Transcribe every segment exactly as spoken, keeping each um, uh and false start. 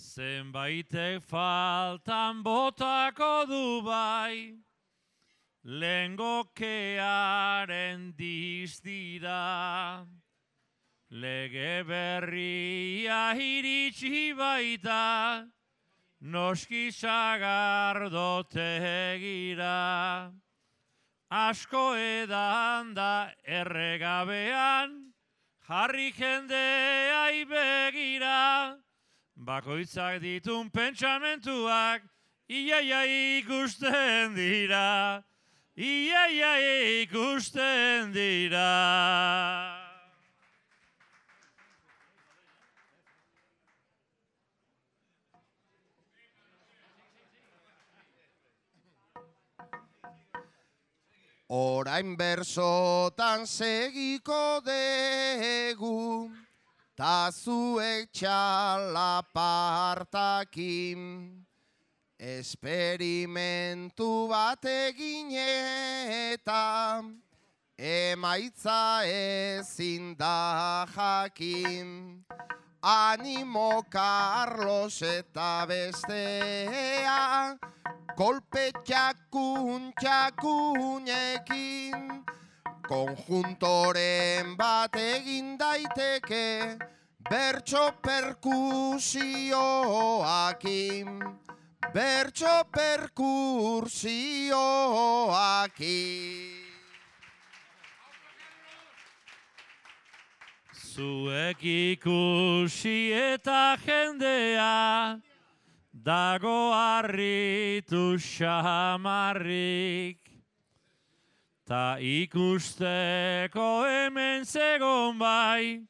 Zenbaitek faltan botako du bai, lengokearen dizdira. Lege berria iritsi baita, noski sagardotegira. Asko edan da erregabean, jarri jendeai begira. Bakoitzak ditun pentsamentuak, iaia ikusten dira, iaia ikusten dira. Orain bersotan segiko degu, ta zuek txalapartakin. Esperimentu bat egin eta emaitza ezin da jakin. Animo Carlos eta bestea, kolpe txakun txakunekin. Konjuntoren bat egin daiteke, bertso perkusioakin. Bertso perkusioakin. Zuek ikusi eta jendea, dago harritu xamarrik. Ta ikusteko hemen zegon bai,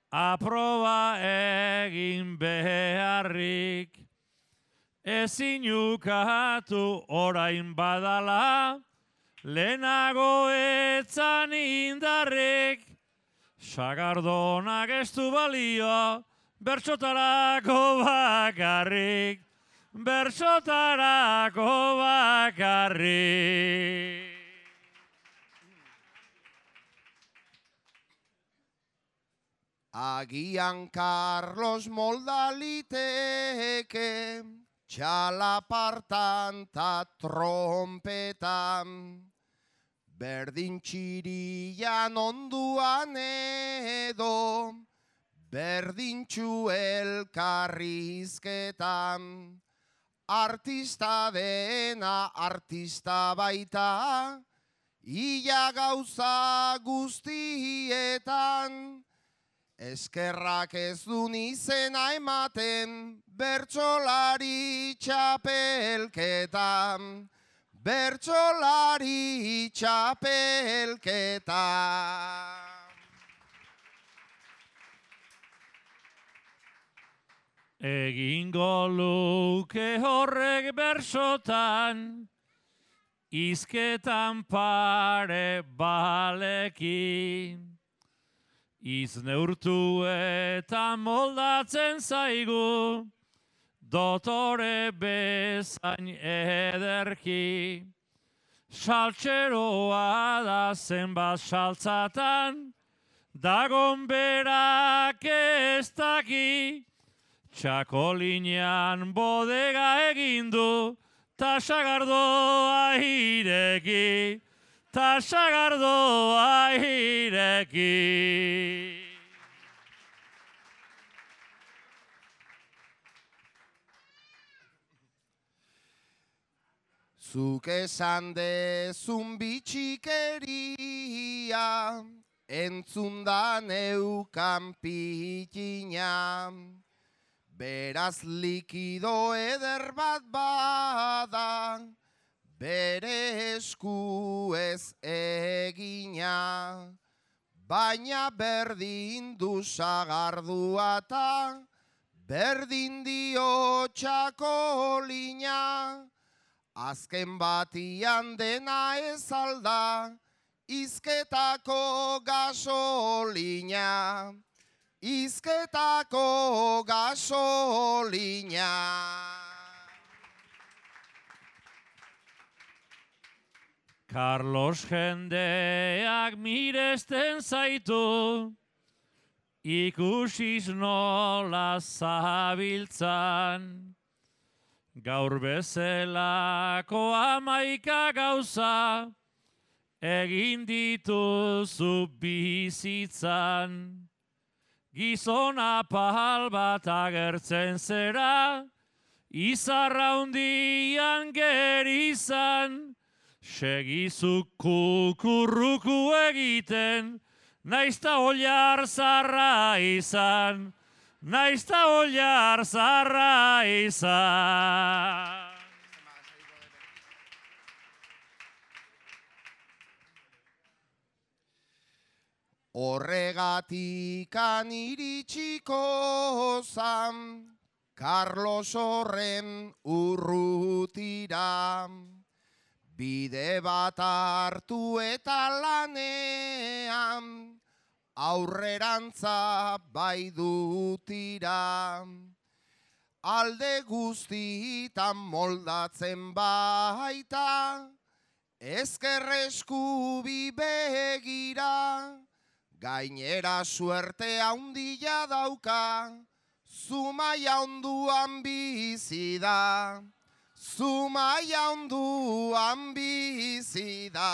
aproba egin beharrik. Ezin ukatu orain badala, lehenago etzan indarrik. Sagardonak ez du balio, bertsotarako bakarrik, bertsotarako bakarrik. Agian Carlos molda liteke, txalapartan ta trompetan. Berdin txirian onduan edo, berdintxu elkarrizketan. Artista dena artista baita, ia gauza guztietan. Eskerrak ez dun izena ematen, bertsolari txapelketan. Bertsolari txapelketa. Egingo luke horrek bersotan, izketan pare balekin. Iz neurtu eta moldatzen zaigu, dotore bezain ederki. Saltxeroa da zenbat saltzatan, dagon berak ez daki. Txakolinean bodega egindu, ta sagardoa ireki, ta sagardoa ireki. Zuk esan dezun bitxikeria, entzundan eukan pitina. Beraz likido eder bat bada, bere esku ez egina. Baina berdin du sagardua ta, berdin dio txakolina. Azken batian dena ez alda, izketako gasolina. Izketako gasolina. Carlos jendeak miresten zaitu, ikusiz nola zabiltzan, gaur bezelako hamaika gauza, egin dituzu bizitzan. Gizon apal bat agertzen zera, izarra hundian gerizan, segizu kukurruku egiten, naizta oliar zarra izan, naizta oliar zarra izan. Horregatikan iritsiko zan, Carlos horren urrutira, bide bat hartu eta lanean, aurrerantza bai dutira. Alde guztitan moldatzen baita, ezkerresku bi begira, gainera suerte handia dauka, Zumaia onduan bizi da, Zumaia onduan bizi da.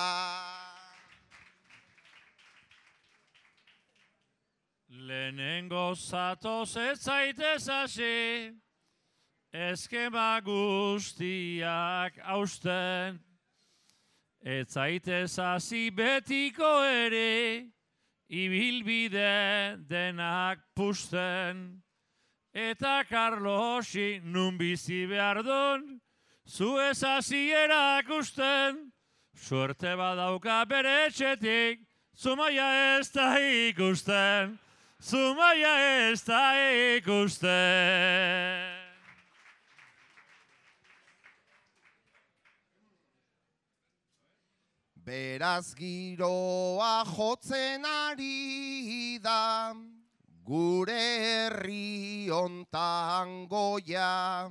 Lehenengo zatoz ez zaitez hasi, eskema guztiak hausten, ez zaitez hasi betiko ere, ibilbide denak pusten, eta Carlosi nun bizi behar duen, zu ez hasi erakusten, suerte badauka bere etxetik, Zumaia ez da ikusten, Zumaia ez da ikusten. Beraz giroa jotzen ari da, gure herri hontan goia,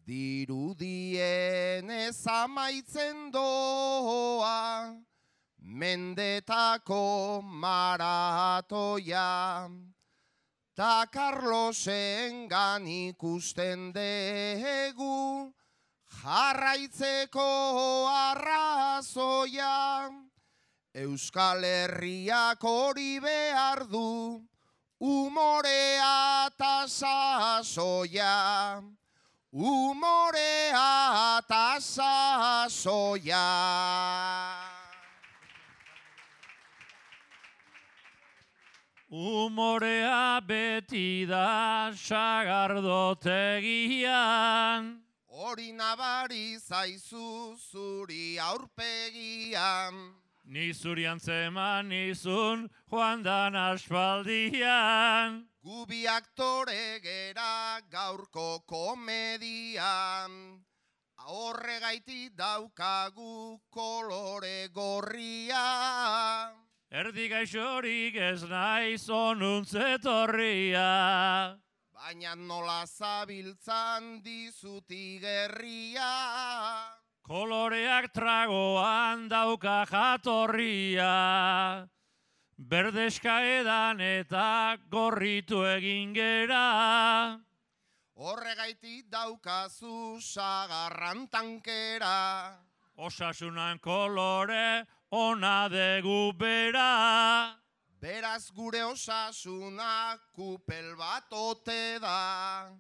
dirudien ez amaitzen doa, mendetako maratoia, ta Carlosengan ikusten degu, jarraitzeko arrazoia, Euskal Herriak hori behar du, umorea eta sasoia, umorea eta sasoia. Umorea beti da sagardotegian, hori nabari zaizu zuri aurpegian, ni zuri antzeman nizun joan dan aspaldian. Gubi aktore gera gaurko komedian, horregaitik daukagu kolore gorria. Erdi gaixorik ez naiz onuntzetorria, baina nola zabiltzan dizuti gerria. Koloreak tragoan dauka jatorria, berdeska edan eta gorritu egin gera. Horregaitik daukazu sagarran tankera, osasunan kolore ona degu bera. Beraz gure osasuna kupel bat ote da,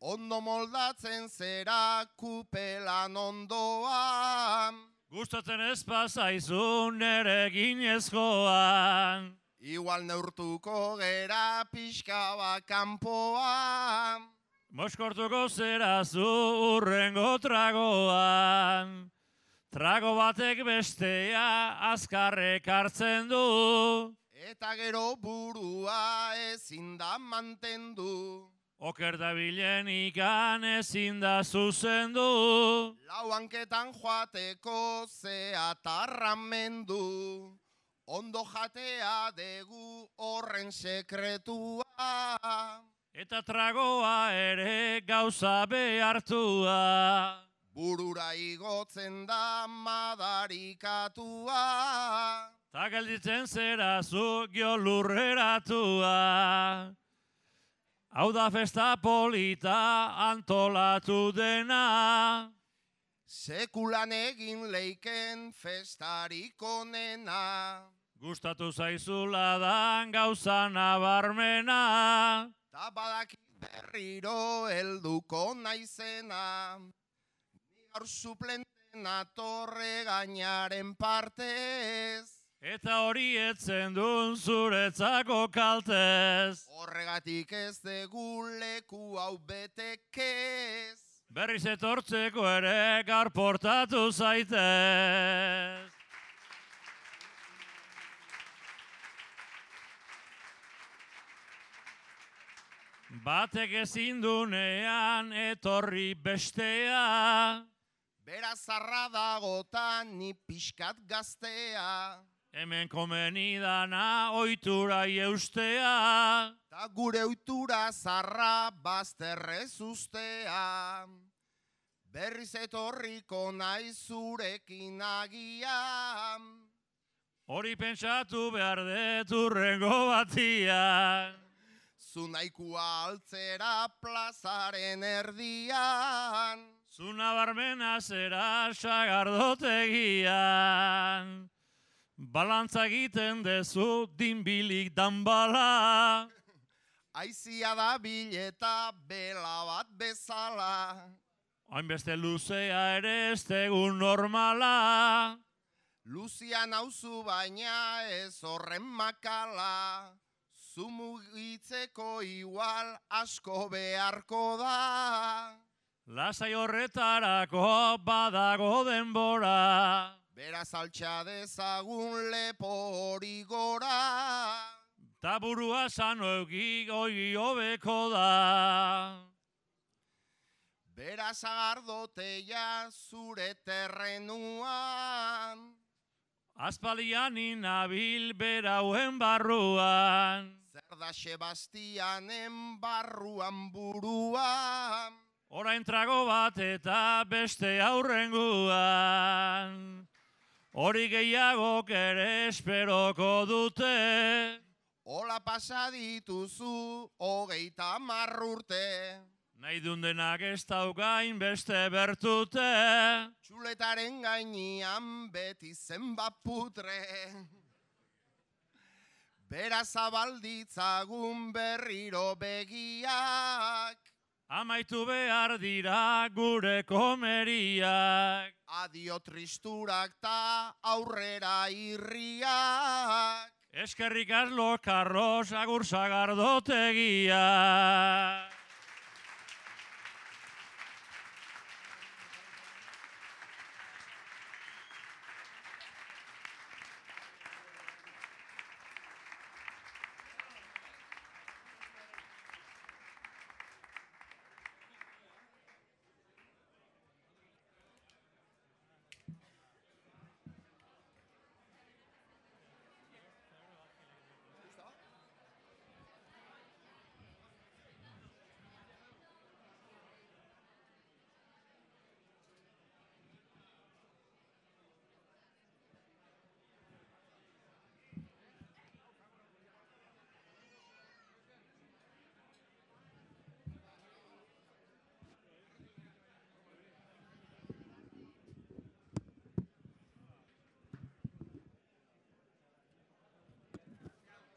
ondo moldatzen zera kupelan ondoan. Gustatzen ez pasaizun ere ginezkoan, igual neurtuko gera pixka bat kanpoan. Moskortuko zerazu urrengo tragoan, trago batek bestea azkarrek hartzen du. Eta gero burua ezin da mantendu, oker dabilen ikan ezin da zuzendu. Lau hanketan joateko zeatarramendu, ondo jatea degu horren sekretua. Eta tragoa ere gauza behartua, burura igotzen da madarikatua. Ta gelditzen zera zu gio lurreratua. Hau da festa polita antolatu dena. Sekulan egin leiken festarik onena. Gustatu zaizula dan gauza nabarmena. Ta badakit berriro helduko naizena. Ni gaur suplenten atorre gainaren partez. Eta hori etzen duen zuretzako kaltez. Horregatik ez dugu leku hau betekez. Berriz etortzeko ere gaur portatu zaitez. Batek ezin dunean etorri bestea. Bera zarra dagotan ni pixkat gaztea. Hemen komeni dana ohitura eustea. Ta gure ohitura zarra bazterrez ustea. Berriz etorriko naiz zurekin agian. Hori pentsatu behar dut hurrengo batian. Zu nahikoa altzera plazaren erdian. Zu nabarmena zera sagardotegian. Balantza egiten dezu dinbilik danbala. Aizia da bileta bela bat bezala. Hainbeste luzea ere ez tegun normala. Luzia nauzu baina ez horren makala. Zu mugitzeko igual asko beharko da. Lasai horretarako badago denbora. Beraz altxa dezagun lepo hori gora. Ta burua sano euki goi hobeko da. Beraz agardoteia zure terrenuan. Aspaldian inabil berauen barruan. Zer da Sebastianen barruan buruan. Orain trago bat eta beste aurrenguan. Hori gehiagok ere esperoko dute. Ola pasa dituzu hogeita hamar urte. Nahi dundenak ez daukain beste bertute. Txuletaren gainean beti zenbat putre. Beraz zabalditzagun berriro begiak. Amaitu behar dira gure komeriak. Adio tristurak ta aurrera irriak. Eskerrik asko Karlos agur sagardotegiak.